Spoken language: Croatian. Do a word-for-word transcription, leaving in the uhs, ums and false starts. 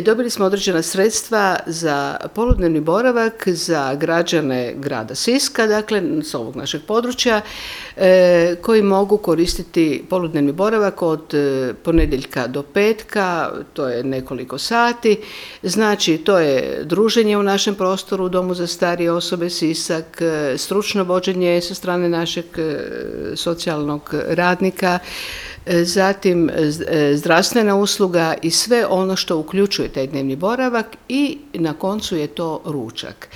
dobili smo određena sredstva za poludnevni boravak za građane grada Siska, dakle s ovog našeg područja, koji mogu koristiti poludnevni boravak od ponedjeljka do petka, to je nekoliko sati. Znači, to je druženje u našem prostoru u Domu za starije osobe Sisak, stručno vođenje sa strane našeg socijalnog radnika, zatim zdravstvena usluga i sve ono što uključuje taj dnevni boravak i na koncu je to ručak.